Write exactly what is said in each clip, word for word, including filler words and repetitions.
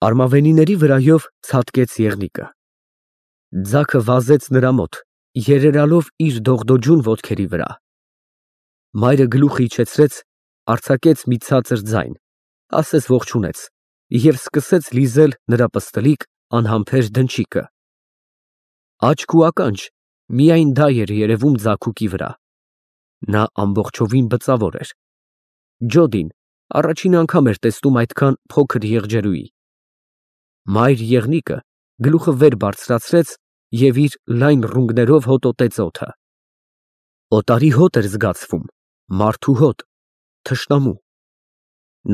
Արմավենիների վրայով ցատկեց եղնիկը։ Ձագը վազեց նրա մոտ, երերալով իր դողդոջուն ոտքերի վրա։ Մայրը գլուխը իջեցրեց, արձակեց մի ցածր ձայն, ասես ողջունեց և սկսեց լիզել նրա պստլիկ, անհամբեր դնչիկը։ Աչք ու ականջ, միայն դա էր երևում ձագուկի վրա։ Նա ամբողջովին բծավոր էր։ Ջոդին առաջին անգամ էր տեսնում այդքան փոքր եղջերուի։ Մայր եղնիկը գլուխը վեր բարձրացրեց և իր լայն ռունգներով հոտոտեց օդը։ Օտարի հոտ էր զգացվում, մարդու հոտ, թշնամու։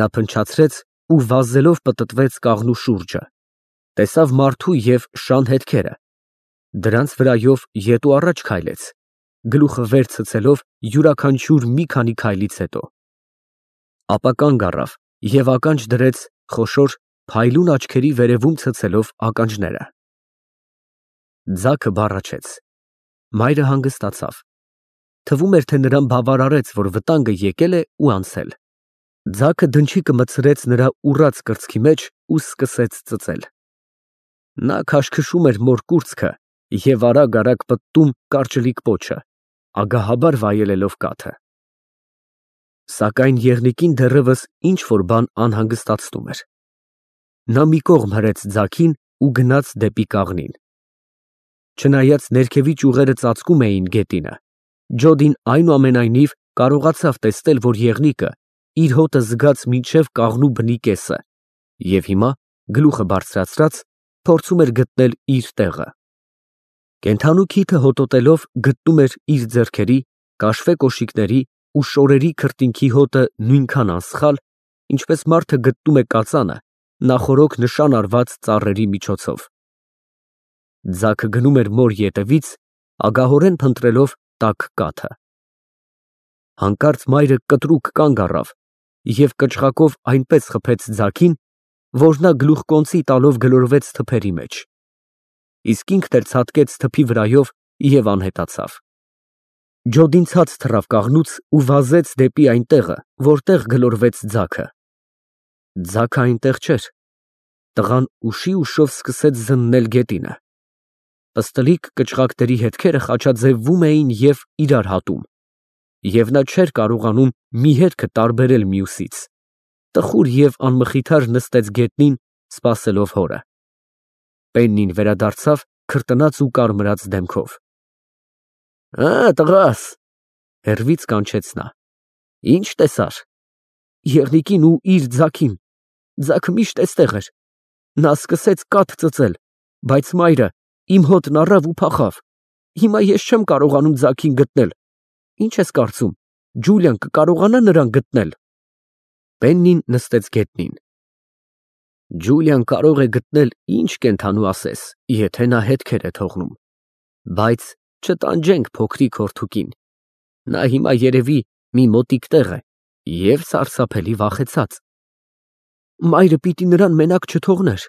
Նա փնչացրեց ու վազելով պտտվեց կաղնու շուրջը, տեսավ մարդու և շան հետքերը, դրանց վրայով ետ ու առաջ քայլեց, գլուխը վեր ցցելով յուրաքանչյուր մի քանի քայլից հետո, ապա կանգ առավ և ականջ դրեց խոշոր փայլուն աչքերի վերևում ցցելով ականջները։ Ձագը բառաչեց։ Մայրը հանգստացավ։ Թվում էր, թե նրան բավարարեց, որ վտանգը եկել է ու անցել։ Ձագը դնչիկը մտցրեց նրա ուռած կրծքի մեջ ու սկսեց ծծել։ Նա քաշքշում էր մոր կուրծքը և արագ֊արագ պտտում կարճլիկ պոչը, ագահաբար վայելելով կաթը։ Սակայն եղնիկին դեռևս ինչ֊որ բան անհանգստացնում էր։ Նա մի կողմ հրեց ձագին ու գնաց դեպի կաղնին։ Չնայած ներքևի ճյուղերը ծածկում էին գետինը, Ջոդին այնուամենայնիվ կարողացավ տեսնել, որ եղնիկը իր հոտը զգաց մինչև կաղնու բնի կեսը և հիմա, գլուխը բարձրացրած, փորձում էր գտնել իր տեղը։ Կենդանու քիթը հոտոտելով գտնում էր իր ձեռքերի, կաշվե կոշիկների ու շորերի քրտինքի հոտը նույնքան անսխալ, ինչպես մարդը գտնում է կածանը նախօրոք նշան արված ծառերի միջոցով։ Ձագը գնում էր մոր ետևից, ագահորեն փնտրելով տաք կաթը։ Հանկարծ մայրը կտրուկ կանգ առավ և կչղակով այնպես խփեց ձագին, որ նա գլուխկոնծի տալով գլորվեց թփերի մեջ, իսկ ինքն էլ ցատկեց թփի վրայով և անհետացավ։ Ջոդին ցած թռավ կաղնուց ու վազեց դեպի այն տեղը, որտեղ գլորվեց ձագը։ Ձագը այնտեղ չէր։ Տղան ուշի֊ուշով սկսեց զննել գետինը։ Պստլիկ կչղակների հետքերը խաչաձևվում էին և իրար հատում, և նա չէր կարողանում մի հետքը տարբերել մյուսից։ Տխուր և անմխիթար նստեց գետնին, սպասելով հորը։ Պեննին վերադարձավ քրտնած ու կարմրած դեմքով։ ֊ Ա, տղաս, ֊ հեռվից կանչեց նա, ֊ ի՞նչ տեսար։ ֊ Եղնիկին ու իր ձագին. ձագը միշտ էստեղ էր։ Նա սկսեց կաթ ծծել, բայց մայրը իմ հոտն առավ ու փախավ։ Հիմա ես չեմ կարողանում ձագին գտնել։ Ի՞նչ ես կարծում, Ջուլիան կկարողանա նրան գտնել։ Պեննին նստեց գետնին։ Ջուլիան կարող է գտնել ինչ կենդանու ասես, եթե նա հետքեր է թողնում, բայց չտանջենք փոքրիկ հորթուկին, նա հիմա երևի մի մոտիկ տեղ է և սարսափելի վախեցած։ Մայրը պիտի նրան մենակ չթողներ։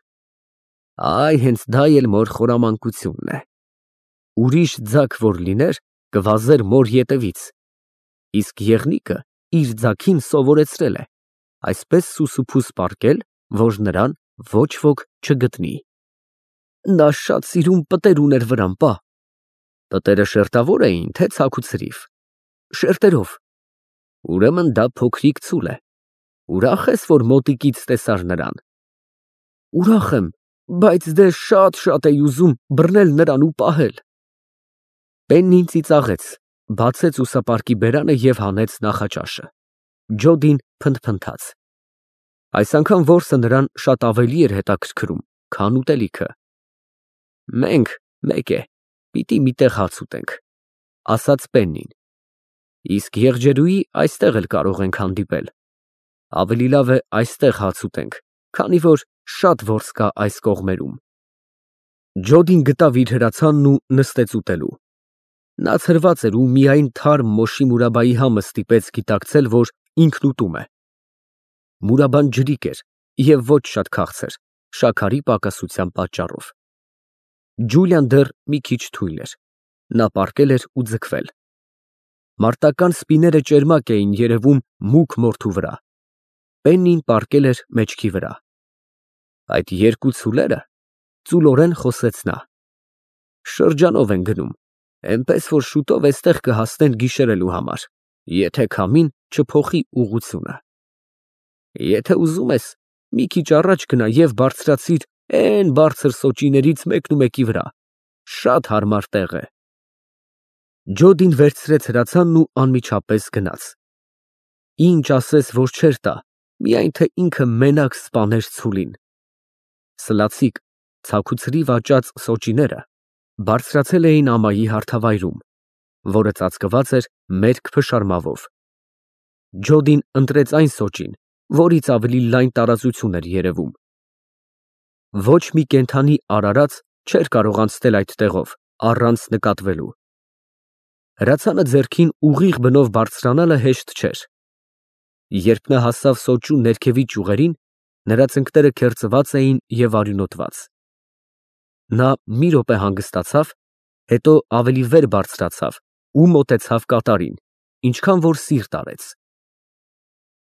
Այ հենց դա էլ մոր խորամանկությունն է։ Ուրիշ ձագ որ լիներ, կվազեր մոր ետևից, իսկ եղնիկը իր ձագին սովորեցրել է այսպես սուսուփուս պառկել, որ նրան ոչ ոք չգտնի։ Նա շատ սիրուն պտեր ուներ վրան, պա։ Պտերը շերտավո՞ր էին, թե ցաքուցրիվ։ Շերտերով։ Ուրեմն դա փոքրիկ ցուլ է։ Ուրախ ես, որ մոտիկից տեսար նրան։ Ուրախ եմ, բայց դե շատ֊շատ էի ուզում բռնել նրան ու պահել։ Պեննին ծիծաղեց, բացեց ուսապարկի բերանը և հանեց նախաճաշը։ Ջոդին փնթփնթաց։ Այս անգամ որսը նրան շատ ավելի էր հետաքրքրում, քան ուտելիքը։ Մենք, մեկ է, պիտի մի տեղ հաց ուտենք, ֊ ասաց Պեննին, ֊ իսկ եղջերուի այստեղ էլ կարող ենք հանդիպել։ Ավելի լավ է այստեղ հաց ուտենք, քանի որ շատ որս կա այս կողմերում։ Ջոդին գտավ իր հրացանն ու նստեց ուտելու։ Նա ցրված էր ու միայն թարմ մոշի Մուրաբայի համը ստիպեց գիտակցել, որ ինքն ուտում է։ Մուրաբան ջրիկ էր և ոչ շատ քաղցր, շաքարի պակասության պատճառով։ Ջուլիան դեռ մի քիչ թույլ էր, նա պառկել էր ու ձգվել։ Մարտական սպիները ճերմակ էին երևում մուգ մորթու վրա։ Պեննին պառկել էր մեջքի վրա։ Այդ երկու ցուլերը, ծուլորեն խոսեց նա, շրջանով են գնում, էնպես որ շուտով էստեղ կհասնեն գիշերելու համար, եթե քամին չփոխի ուղղությունը։ Եթե ուզում ես, մի քիչ առաջ գնա և բարձրացիր էն բարձր սոճիներից մեկնումեկի վրա, շատ հարմար տեղ է։ Ջոդին վերցրեց հրացանն ու անմիջապես գնաց։ Ինչ ասես, որ չէր տա, միայն թե ինքը մենակ սպաներ ցուլին։ Սլացիկ, ցաքուցրիվ աճած սոճիները բարձրացել էին ամայի հարթավայրում, որը ծածկված էր մերկ փշարմավով։ Ջոդին ընտրեց այն սոճին, որից ավելի լայն տարածություն էր երևում։ Ոչ մի կենդանի արարած չէր կարող անցնել այդ տեղով առանց նկատվելու։ Հրացանը ձեռքին ուղիղ բնով բարձրանալը հեշտ չէր։ Երբ նա հասավ սոճու ներքևի ճյուղերին, նրա ծնկները քերծված էին և արյունոտված։ Նա մի րոպե հանգստացավ, հետո ավելի վեր բարձրացավ ու մոտեցավ կատարին, ինչքան որ սիրտ արեց։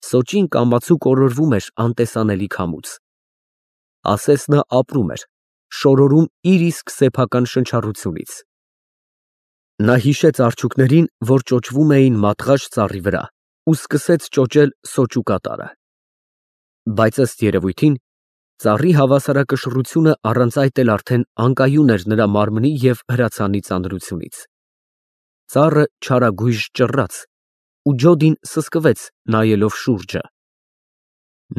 Սոճին կամացու կորորվում էր անտեսանելի քամուց։ Ասես նա ապրում էր, շորորում իր իսկ սեփական շնչառությունից։ Նա հիշեց արջուկներին, որ ճոճվում էին մատղաշ ծառի վրա, ու սկսեց ճոճել սոճու կատարը։ Բայց ըստ երևույթին, ծառի հավասարակշռությունը առանց այդ էլ արդեն անկայուն էր նրա մարմնի և հրացանի ծանրությունից։ Ծառը չարագույժ ճռռաց, ու Ջոդին սսկվեց, նայելով շուրջը։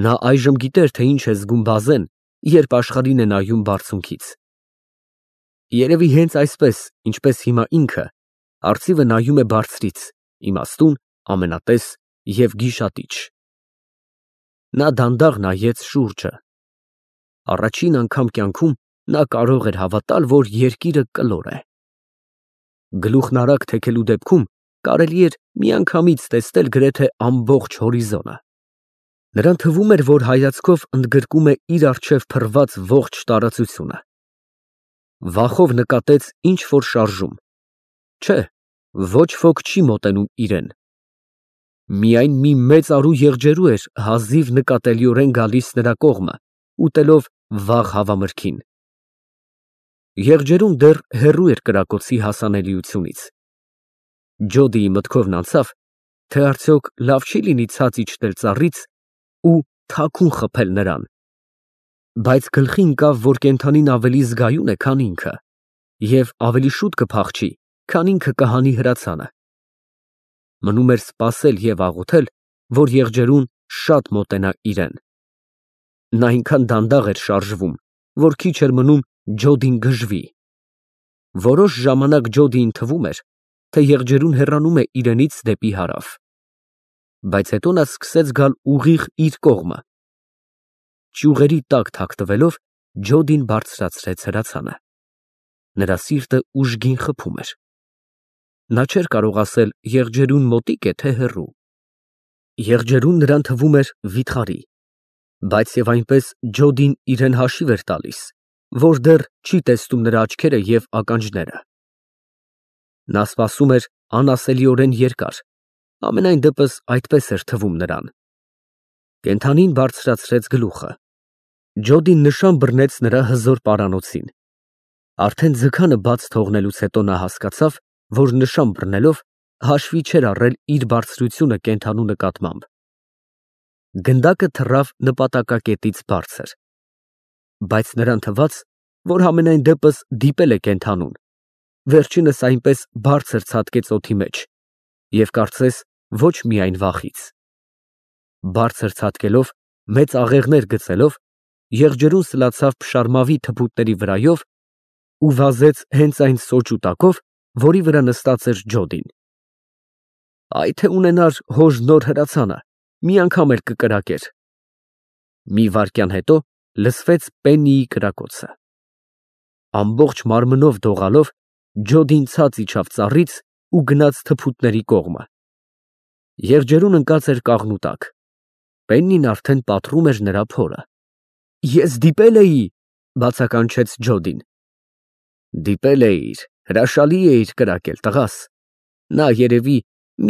Նա այժմ գիտեր, թե ինչ է զգում բազեն, երբ աշխարհին է նայում բարձունքից։ Երևի հենց այսպես, ինչպես հիմա ինքը, արծիվը նայում է բարձրից, իմաստուն, ամենատես և գիշատիչ։ Նա դանդաղ նայեց շուրջը։ Առաջին անգամ կյանքում նա կարող էր հավատալ, որ երկիրը կլոր է։ Գլուխն արագ թեքելու դեպքում կարելի էր միանգամից տեսնել գրեթե ամբողջ հորիզոնը։ Նրան թվում էր, որ հայացքով ընդգրկում է իր առջև փռված ողջ տարածությունը։ Վախով նկատեց ինչ֊որ շարժում։ Չէ, ոչ ոք չի մոտենում իրեն։ Միայն մի մեծարու եղջերու էր հազիվ նկատելիորեն գալիս նրա կողմը, ուտելով վաղ հավամրգին։ Եղջերուն դեռ հեռու էր կրակոցի հասանելիությունից։ Ջոդիի մտքովն անցավ, թե արդյոք լավ չի լինի ցած իջնել ծառից ու թաքուն խփել նրան։ Բայց գլխի ընկավ, որ կենդանին ավելի զգայուն է, քան ինքը, և ավելի շուտ կփախչի, քան ինքը կհանի հրացանը։ Մնում էր սպասել և աղոթել, որ եղջերուն շատ մոտենա իրեն։ Նա այնքան դանդաղ էր շարժվում, որ քիչ էր մնում Ջոդին գժվի։ Որոշ ժամանակ Ջոդիին թվում էր, թե եղջերուն հեռանում է իրենից դեպի հարավ։ Բայց հետո նա սկսեց գալ ուղիղ իր կողմը։ Ճյուղերի տակ թաքնվելով, Ջոդին բարձրացրեց հրացանը։ Նրա սիրտը ուժգին խփում էր։ Նա չէր կարող ասել եղջերուն մոտիկ է, թե հեռու։ Եղջերուն նրան թվում էր վիթխարի, բայց և այնպես Ջոդին իրեն հաշիվ էր տալիս, որ դեռ չի տեսնում նրա աչքերը և ականջները։ Նա սպասում էր անասելիորեն երկար, ամենայն դեպս այդպես էր թվում նրան։ Կենդանին բարձրացրեց գլուխը։ Ջոդին նշան բռնեց նրա հզոր պարանոցին։ Արդեն ձգանը բաց թողնելուց հետո նա հասկացավ, որ նշան բռնելով հաշվի չէր առել իր բարձրությունը կենդանու նկատմամբ։ Գնդակը թռավ նպատակակետից բարձր։ Բայց նրան թվաց, որ համենայն դեպս դիպել է կենդանուն, վերջինս այնպես բարձր ցատկեց օդի մեջ և կարծես ոչ միայն վախից։ Բարձր ցատկելով, մեծ աղեղներ գցելով, եղջերուն սլացավ փշարմավի թփուտների վրայով ու վազեց հենց այն սոճու տակով, որի վրա նստած էր Ջոդին։ Այ թե ունենար հոր նոր հրացանը, մի անգամ էլ կկրակեր։ Մի վայրկյան հետո լսվեց Պեննիի կրակոցը։ Ամբողջ մարմնով դողալով Ջոդին ցած իջավ ծառից ու գնաց թփուտների կողմը։ Եղջերուն ընկած էր կաղնու տակ։ Պեննին արդեն պատռում էր նրա փորը։ Ես դիպել էի, բացականչեց Ջոդին։ Դիպել էիր, հրաշալի էիր կրակել, տղաս։ Նա երևի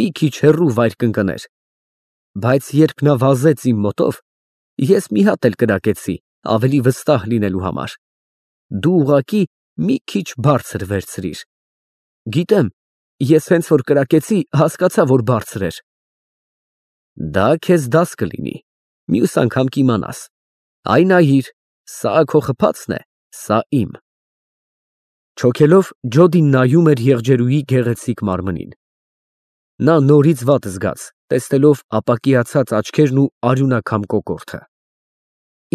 մի քիչ հեռու վայր կընկներ։ Բայց երբ նա վազեց իմ մոտով, ես մի հատ էլ կրակեցի, ավելի վստահ լինելու համար։ Դու ուղղակի մի քիչ բարձր վերցրիր։ Գիտեմ, ես հենց որ կրակեցի, հասկացա, որ բարձր էր։ Դա քեզ դաս կլինի, մյուս անգամ կիմանաս։ Այ նայիր, սա քո խփածն է, սա իմ։ Չոքելով Ջոդին նայում էր եղջերուի գեղեցիկ մարմնին։ Նա նորից վատ զգաց, տեսնելով ապակիացած աչքերն ու արյունաքամ կոկորդը։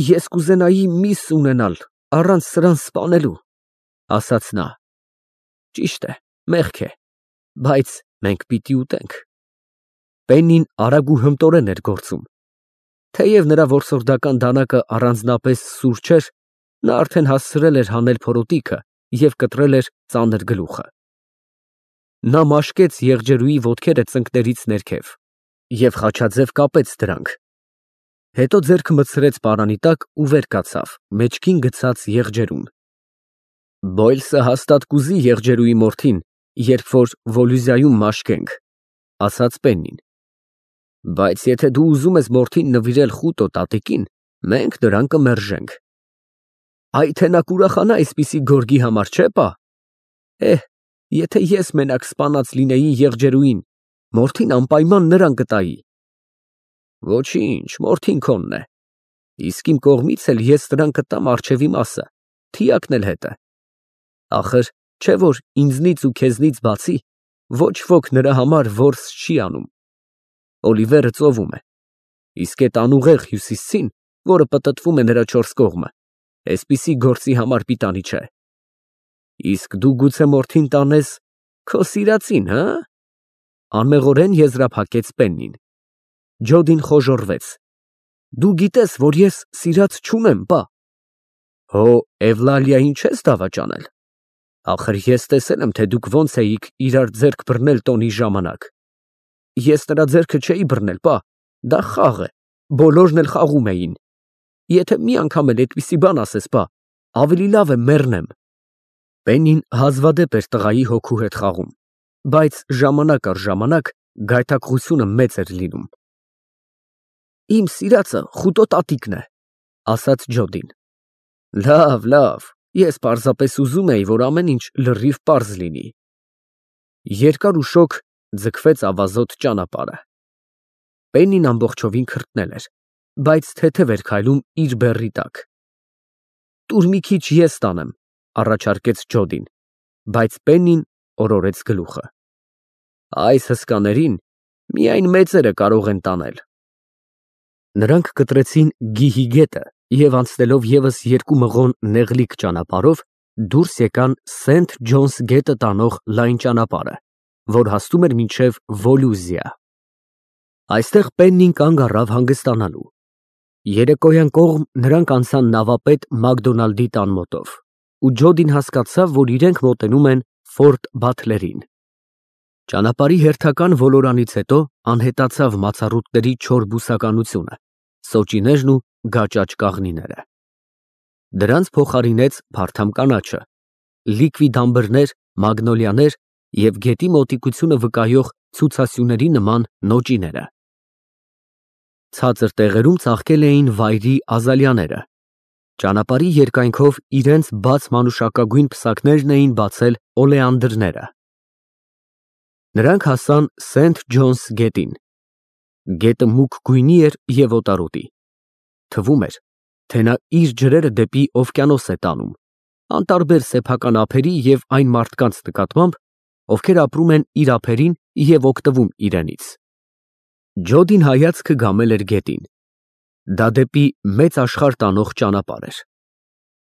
Ես կուզենայի միս ունենալ, առանց սրան սպանելու, ասաց նա։ Ճիշտ է, մեղք է, բայց մենք պիտի ուտենք։ Պեննին արագ ու հմտորեն էր գործում։ Թեև նրա որսորդական դանակը առանձնապես սուր չէր, նա արդեն հասցրել էր հանել փորոտիքը և կտրել էր ծանր գլուխը։ Նա մաշկեց եղջերուի ոտքերը ծնկներից ներքև և խաչաձև կապեց դրանք։ Հետո ձեռքը մտցրեց պարանի տակ ու վեր կացավ, մեջքին գցած եղջերուն։ Բոյլսը հաստատ կուզի եղջերուի մորթին, երբ որ Վոլուզիայում մաշկենք, ասաց Պեննին։ Բայց եթե դու ուզում ես մորթին նվիրել Խուտո տատիկին, մենք նրան կմերժենք։ Այ թե նա կուրախանա այսպիսի գորգի համար, չէ՞ պա։ Էհ, եթե ես մենակ սպանած լինեի եղջերուին, մորթին անպայման նրան կտայի։ Ոչինչ, մորթին քոնն է։ Իսկ իմ կողմից էլ ես նրան կտամ առջևի մասը, թիակն էլ հետը։ Ախր, չէ՞ որ ինձնից ու քեզնից բացի ոչ ոք նրա համար որս չի անում։ Օլիվերը ծովում է, իսկ այդ անուղեղ հյուսիսցին, որը պտտվում է նրա չորս կողմը, այսպիսի գործի համար պիտանի չէ։ Իսկ դու գուցե մորթին տանես քո սիրածին, հը՞։ Անմեղորեն եզրափակեց Պեննին։ Ջոդին խոժոռվեց։ Դու գիտես, որ ես սիրած չունեմ, պա։ Հո Էվլալիային չես դավաճանել։ Ախր ես տեսել եմ, թե դուք ոնց էիք իրար ձեռք բռնել տոնի ժամանակ։ Ես նրա ձեռքը չէի բռնել, պա, դա խաղ է, բոլորն էլ խաղում էին։ Եթե մի անգամ էլ այդպիսի բան ասես, պա, ավելի լավ է մեռնեմ։ Պեննին հազվադեպ էր տղայի հոգու հետ խաղում, բայց ժամանակ առ ժամանակ գայթակղությունը մեծ էր լինում։ Իմ սիրածը Խուտո տատիկն է, ասաց Ջոդին։ Լավ, լավ, ես պարզապես ուզում էի, որ ամեն ինչ լրիվ պարզ լինի։ Երկար ու շոգ ձգվեց ավազոտ ճանապարհը։ Պեննին ամբողջովին քրտնել էր, բայց թեթև էր քայլում իր բեռի տակ։ Տուր մի քիչ ես տանեմ, առաջարկեց Ջոդին, բայց Պեննին օրորեց գլուխը։ Այս հսկաներին միայն մեծերը կարող են տանել։ Նրանք կտրեցին Գիհի գետը և անցնելով ևս երկու մղոն նեղլիկ ճանապարհով դուրս եկան Սենթ Ջոնս գետը տանող լայն ճանապարհը, որ հասնում էր մինչև Վոլուզիա։ Այստեղ Պեննին կանգ առավ հանգստանալու։ Երեկոյան կողմ նրանք անցան նավապետ Մակդոնալդի տան մոտով, ու Ջոդին հասկացավ, որ իրենք մոտենում են Ֆորտ Բաթլերին։ Ճանապարհի հերթական ոլորանից հետո անհետացավ մացառուտների չոր բուսականությունը, սոճիներն ու գաճաճ կաղնիները։ Դրանց փոխարինեց փարթամ կանաչը, լիկվիդ ամբրներ, մագնոլիաներ և գետի մոտիկությունը վկայող ցուցասյուների նման նոճիները։ Ցածր տեղերում ծաղկել էին վայրի ազալիաները։ Ճանապարհի երկայնքով իրենց բաց մանուշակագույն պսակներն էին բացել օլեանդրները։ Նրանք հասան Սենթ Ջոնս գետին։ Գետը մուգ գույնի էր և օտարոտի։ Թվում էր, թե նա իր ջրերը դեպի օվկիանոս է տանում, անտարբեր սեփական ափերի և այն մարդկանց նկատմամբ, ովքեր ապրում են իր ափերին և օգտվում իրենից։ Ջոդին հայացքը գամել էր գետին։ Դա դեպի մեծ աշխարհ տանող ճանապարհ էր։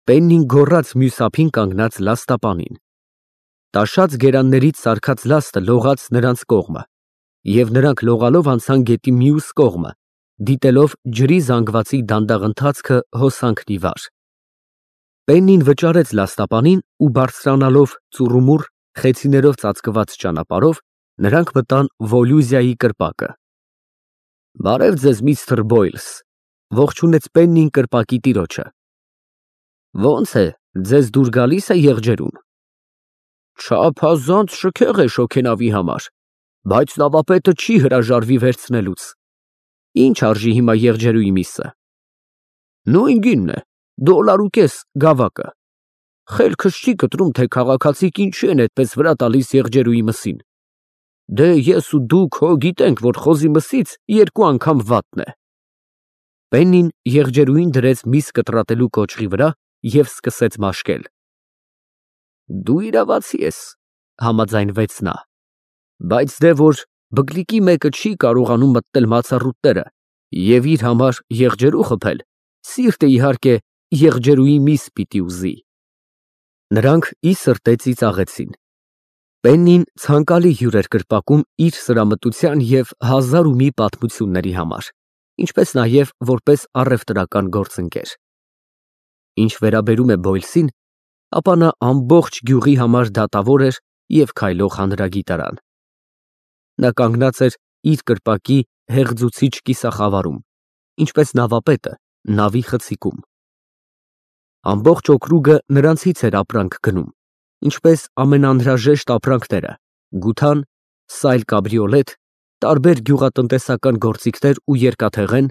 Պեննին գոռաց մյուս ափին կանգնած լաստապանին։ Տաշած գերաններից սարքած լաստը լողաց նրանց կողմը, և նրանք լողալով անցան գետի մյուս կողմը, դիտելով ջրի զանգվածի դանդաղ ընթացքը հոսանքն ի վար։ Պեննին վճարեց լաստապանին ու բարձրանալով ծուռումուռ խեցիներով ծածկված ճանապարհով, նրանք մտան Վոլուզիայի կրպակը։ Բարև ձեզ, միստր Բոյլս, ողջունեց Պեննին կրպակի տիրոջը։ Ոնց է, ձեզ դուր գալի՞ս է եղջերուն։ Չափազանց շքեղ է շոգենավի համար, բայց նավապետը չի հրաժարվի վերցնելուց։ Ինչ արժի հիմա եղջերուի միսը։ Նույն գինն է, Դոլար ու կես գավակը։ Խելքս չի կտրում, թե քաղաքացիք ինչի են այդպես վրա տալիս եղջերուի մսին։ Դե ես ու դուք հո գիտենք, որ խոզի մսից երկու անգամ վատն է։ Պեննին եղջերուին դրեց միս կտրատելու կոճղի վրա և սկսեց մաշկել։ Դու իրավացի ես, համաձայնվեց նա, բայց դե որ բգլիկի մեկը չի կարողանում մտնել մացառուտները և իր համար եղջերու խփել, սիրտը իհարկե եղջերուի միս պիտի ուզի։ Նրանք ի սրտե ծիծաղեցին։ Պեննին ցանկալի հյուր էր կրպակում իր սրամտության և հազար ու մի պատմությունների համար, ինչպես նաև որպես առևտրական գործընկեր։ Ինչ վերաբերում է Բոյլսին, ապա նա ամբողջ գյուղի համար դատավոր էր և քայլող հանրագիտարան։ Նա կանգնած էր իր կրպակի հեղձուցիչ կիսախավարում, ինչպես նավապետը նավի խցիկում։ Ամբողջ օկրուգը նրանցից էր ապրանք գնում, ինչպես ամենաանհրաժեշտ ապրանքները՝ գութան, սայլ կաբրիոլետ, տարբեր գյուղատնտեսական գործիքներ ու երկաթեղեն,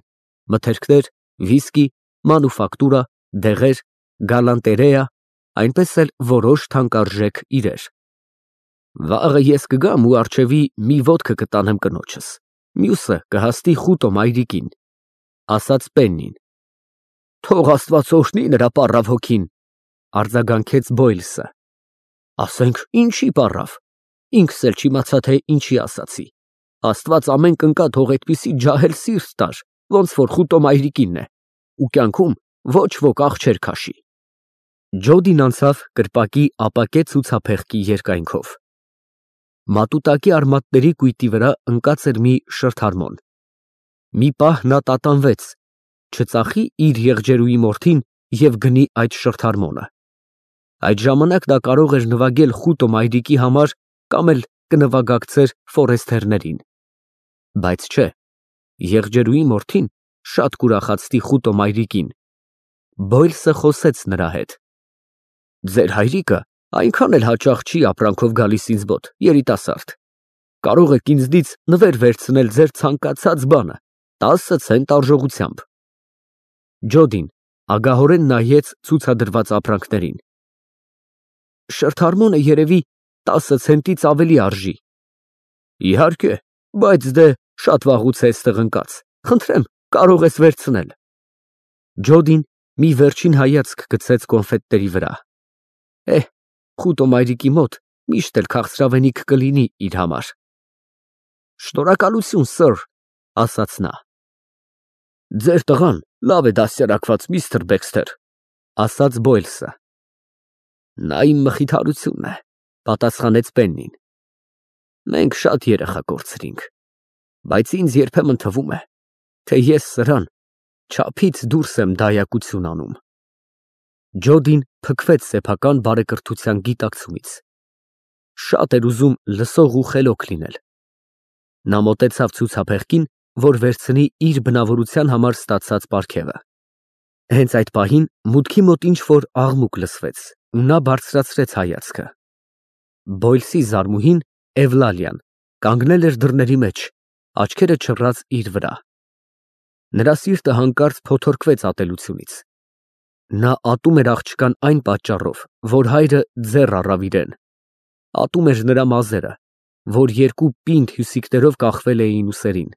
մթերքներ, վիսկի, մանուֆակտուրա, դեղեր, գալանտերեա, այնպես էլ որոշ թանկարժեք իրեր։ Վաղը ես կգամ ու առջևի մի ոտքը կտանեմ կնոջս, մյուսը կհասնի խուտո մայրիկին, ասաց Պեննին։ Թող Աստված օրհնի նրա պառավ հոգին, արձագանքեց Բոյլսը։ Ասենք ինչի պառավ, ինքս էլ չիմացա, թե ինչի ասացի։ Աստված ամեն կնկա թող այդպիսի ջահել սիրտ տար, ոնց որ խուտո մայրիկինն է, ու կյանքում ոչ ոք աղ չէր քաշի։ Ջոդին անցավ կրպակի ապակե ցուցափեղկի երկայնքով։ Մատուտակի արմատների կույտի վրա ընկած էր մի շրթարմոն։ Մի պահ նա տատանվեց, չծախի իր եղջերուի մորթին և գնի այդ շրթարմոնը։ Այդ ժամանակ նա կարող էր նվագել խուտո մայրիկի համար կամ էլ կնվագակցեր ֆորեստերներին։ Բայց չէ, եղջերուի մորթին շատ կուրախացնի խուտո մայրիկին։ Բոյլսը խոսեց նրա հետ։ Ձեր հայրիկը այնքան էլ հաճախ չի ապրանքով գալիս ինձ մոտ, երիտասարդ։ Կարող եք ինձնից նվեր վերցնել ձեր ցանկացած բանը, տասը ցենտ արժողությամբ։ Ջոդին ագահորեն նայեց ցուցադրված ապրանքներին։ Շրթարմոնը երևի տասը ցենտից ավելի արժի։ Իհարկե, բայց դե շատ վաղուց է այստեղ ընկած, խնդրեմ, կարող ես վերցնել։ Ջոդին մի վերջին հայացք գցեց կոնֆետների վրա։ Էհ, խուտո մայրիկի մոտ միշտ էլ քաղցրավենիք կլինի իր համար։ Շնորհակալություն, սըր, ասաց նա։ Ձեր տղան լավ է դաստիարակված, միստր Բեքսթեր, ասաց Բոյլսը։ Նա իմ մխիթարությունն է, պատասխանեց Պեննին։ Մենք շատ երեխա կորցրինք, բայց ինձ երբեմն թվում է, թե ես սրան չափից դուրս եմ դայակություն անում։ Ջոդին փքվեց սեփական բարեկրթության գիտակցումից։ Շատ էր ուզում լսող ու խելոք լինել։ Նա մոտեցավ ցուցափեղկին, որ վերցնի իր բնավորության համար ստացած պարգևը։ Հենց այդ պահին մուտքի մոտ ինչ-որ աղմուկ լսվեց, ու նա բարձրացրեց հայացքը։ Բոյլսի զարմուհին Էվլալիան կանգնել էր դռների մեջ, աչքերը չռած իր վրա։ Նրա սիրտը հանկարծ փոթորկվեց ատելությունից։ Նա ատում էր աղջկան այն պատճառով, որ հայրը ձեռ առավ իրեն։ Ատում էր նրա մազերը, որ երկու պինդ հյուսիկներով կախվել էին ուսերին։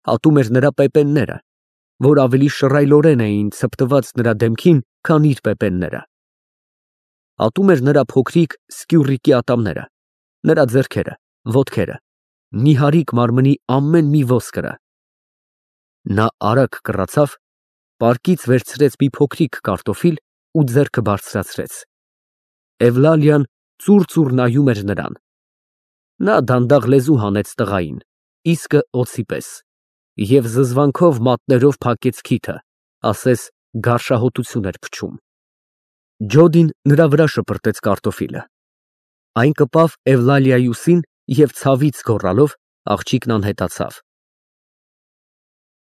Ատում էր նրա պեպենները, որ ավելի շռայլորեն էին ցպտված նրա դեմքին, քան իր պեպենները։ Ատում էր նրա փոքրիկ սկյուռիկի ատամները, նրա ձեռքերը, ոտքերը, նիհարիկ մարմնի ամեն մի ոսկրը։ Նա արագ կռացավ, պարկից վերցրեց մի փոքրիկ կարտոֆիլ ու ձեռքը բարձրացրեց։ Էվլալիան ծուռ-ծուռ նայում էր նրան։ Նա դանդաղ լեզու հանեց տղային, իսկը օձի պես, և զզվանքով մատներով փակեց քիթը, ասես գարշահոտություն էր փչում։ Ջոդին նրա վրա շպրտեց կարտոֆիլը։ Այն կպավ Էվլալիայի ուսին և ցավից գոռալով աղջիկն անհետացավ։